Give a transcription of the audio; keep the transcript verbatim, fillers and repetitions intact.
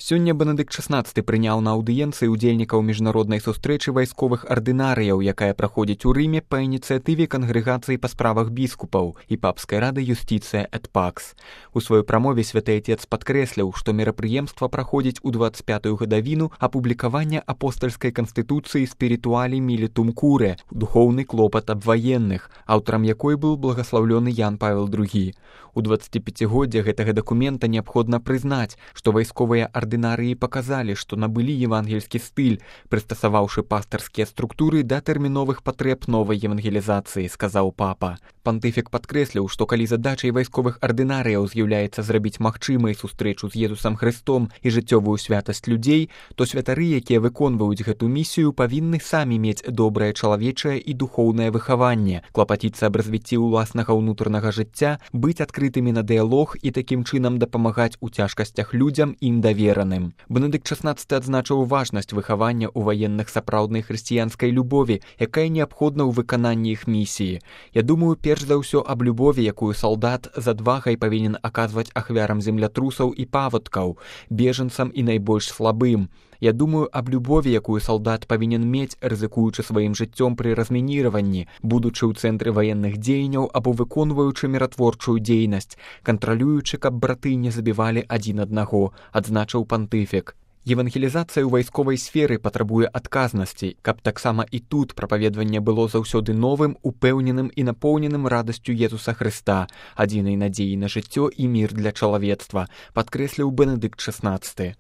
Сёння Бенедыкт шаснаццаты прыняў на аўдыенцыі ўдзельнікаў міжнароднай сустрэчы вайсковых ардынарыяў, якая праходзіць у Рыме па ініцыятыве кангрэгацыі па справах біскупаў і папскай рады Юстицыя эт Пакс. У сваёй прамове святы отец падкрэсліў, што мерапрыемства праходзіць у дваццаць пятую гадавіну апублікавання апостальскай канстытуцыі Spirituali Militum Curae, духоўны клопат аб ваенных, аўтарам якой быў благаслаўлёны Ян Павел другі. У дваццаціпяцігоддзе гэтага дакумента неабходна прызнаць, што вайсковыя ардынарыі паказалі, што набылі евангельскі стыль, прыстасаваўшы пастарскія структуры да тэрміновых патрэб новай евангелізацыі, сказаў папа. Пантыфік падкрэсліў, што калі задачай вайсковых ардынарыяў з'яўляецца зрабіць магчымай сустрэчу з Езусам Хрыстом і жыццёвую святасць людзей, то святары, якія выконваюць гэту місію, павінны самі мець добрае чалавечае і духоўнае выхаванне, клапаціцца аб развіцці ўласнага ўнутранага жыцця, быць адкрытымі на дыялог і такім чынам дапамагаць у цяжкасцях людзям ім давераным. Бенедыкт шаснаццаты адзначыў важнасць выхавання ў ваенных сапраўднай хрысціянскай любові, якая неабходна ў выкананні іх місіі. Я думаю, перш за ўсё аб любові, якую салдат з адвагай павінен аказваць ахвярам землятрусаў і паводкаў, бежанцам і найбольш слабым. Я думаю аб любові, якую салдат павінен мець, рызыкуючы сваім жыццём пры размініраванні, будучы ў цэнтры ваенных дзеянняў або выконваючы міратворчую дзейнасць, кантралюючы, каб браты не забівалі адзін аднаго, адзначыў пантыфік. Евангелізацыя ў вайсковай сферы патрабуе адказнасці, каб таксама і тут прапаведванне было заўсёды новым, упэўненым і напоўненым радасцю Езуса Хрыста, адзінай надзеі на жыццё і мір для чалавецтва, падкрэсліў Бенедыкт шаснаццаты.